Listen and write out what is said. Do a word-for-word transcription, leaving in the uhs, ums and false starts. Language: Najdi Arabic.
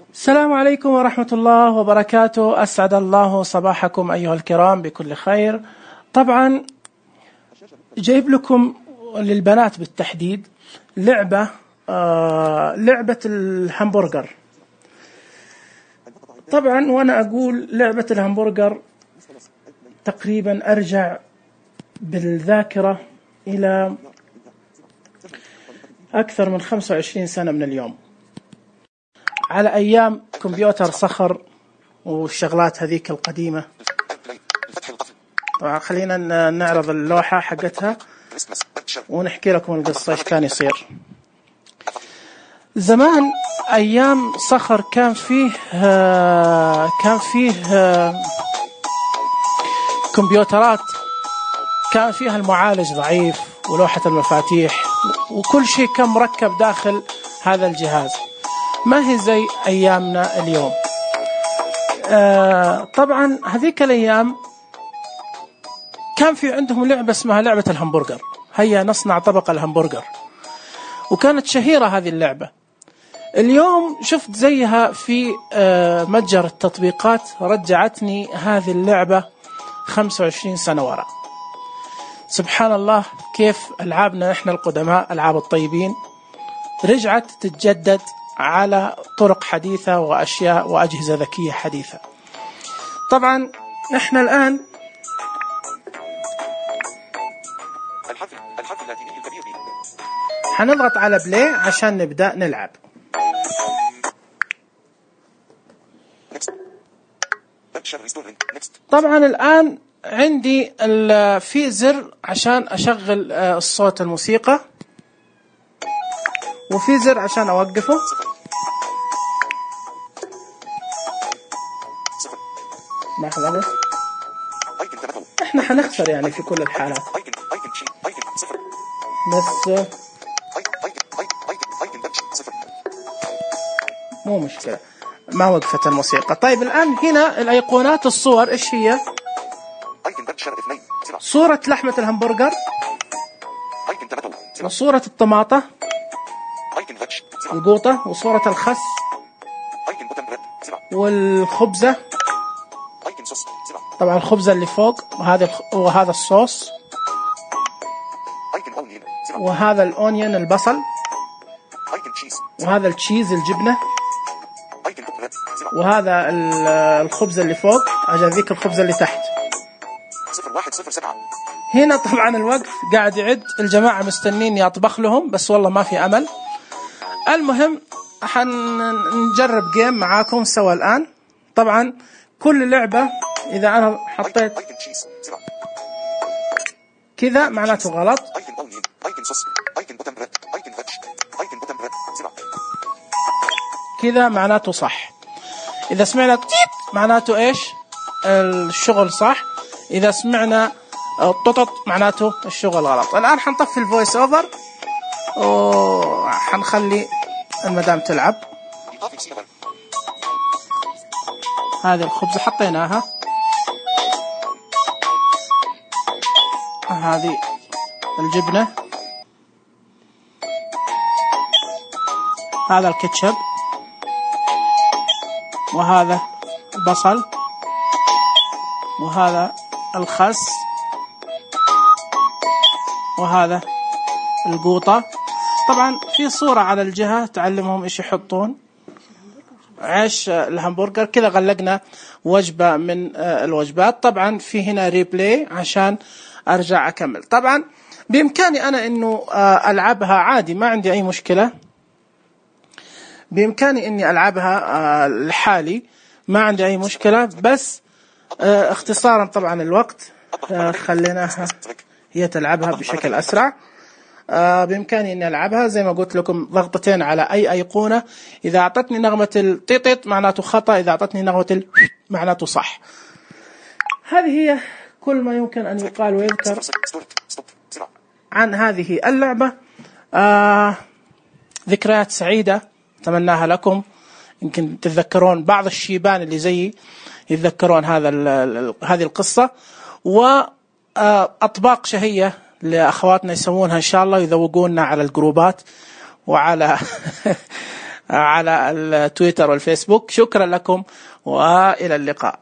السلام عليكم ورحمة الله وبركاته. أسعد الله صباحكم أيها الكرام بكل خير. طبعا جايب لكم للبنات بالتحديد لعبة آه لعبة الهمبرجر. طبعا وأنا أقول لعبة الهمبرجر تقريبا أرجع بالذاكرة إلى أكثر من خمسة وعشرين سنة من اليوم، على أيام كمبيوتر صخر والشغلات هذيك القديمة. طبعا خلينا نعرض اللوحة حقتها ونحكي لكم القصة إيش كان يصير زمان. أيام صخر كان فيه كان فيه كمبيوترات كان فيها المعالج ضعيف ولوحة المفاتيح وكل شيء كان مركب داخل هذا الجهاز، ما هي زي أيامنا اليوم. آه طبعا هذيك الأيام كان في عندهم لعبة اسمها لعبة الهمبرجر، هيا نصنع طبق الهمبرجر، وكانت شهيرة هذه اللعبة. اليوم شفت زيها في آه متجر التطبيقات، رجعتني هذه اللعبة خمسة وعشرين سنة وراء. سبحان الله كيف ألعابنا إحنا القدماء ألعاب الطيبين رجعت تتجدد على طرق حديثة وأشياء وأجهزة ذكية حديثة. طبعا إحنا الآن حنضغط على بلاي عشان نبدأ نلعب. طبعا الآن عندي في زر عشان أشغل الصوت الموسيقى، وفي زر عشان أوقفه. لحظة بس، إحنا حنخسر يعني في كل الحالات، بس مو مشكلة، ما وقفت الموسيقى. طيب الآن هنا الأيقونات الصور إيش هي؟ صورة لحمة الهمبرجر، وصورة الطماطة القوطة، وصورة الخس والخبزة. طبعا الخبزة اللي فوق، وهذا وهذا الصوص، وهذا الأونيون البصل، وهذا التشيز الجبنة، وهذا الخبز اللي فوق عشان ذيك الخبزة اللي تحت. هنا طبعا الوقت قاعد يعد، الجماعة مستنين أطبخ لهم بس والله ما في أمل. المهم حنجرب جيم معاكم سوا الآن. طبعا كل لعبة إذا أنا حطيت كذا معناته غلط، كذا معناته صح. إذا سمعنا تيت معناته إيش الشغل صح، إذا سمعنا ططط معناته الشغل غلط. الآن حنطفي الفويس أوفر وحنخلي المدام تلعب. هذه الخبزة حطيناها، هذه الجبنة، هذا الكاتشب، وهذا البصل، وهذا الخس، وهذا القوطة. طبعا في صورة على الجهة تعلمهم إيش يحطون. عيش الهمبرجر كذا غلقنا وجبة من الوجبات. طبعا في هنا ريبلاي عشان أرجع أكمل. طبعا بإمكاني أنا إنه ألعبها عادي، ما عندي أي مشكلة، بإمكاني إني ألعبها لحالي ما عندي أي مشكلة، بس اختصارا طبعا الوقت خليناها هي تلعبها بشكل أسرع. بإمكاني إني ألعبها زي ما قلت لكم، ضغطتين على أي أيقونة. إذا أعطتني نغمة التيتيت معناته خطأ، إذا أعطتني نغمة ال معناته صح. هذه هي كل ما يمكن أن يقال ويذكر عن هذه اللعبة. آه ذكريات سعيدة أتمناها لكم، يمكن تتذكرون بعض الشيبان اللي زيي يتذكرون هذا هذه القصة، وأطباق شهية لأخواتنا يسوونها إن شاء الله، يذوقوننا على الجروبات وعلى على التويتر والفيسبوك. شكرا لكم وإلى اللقاء.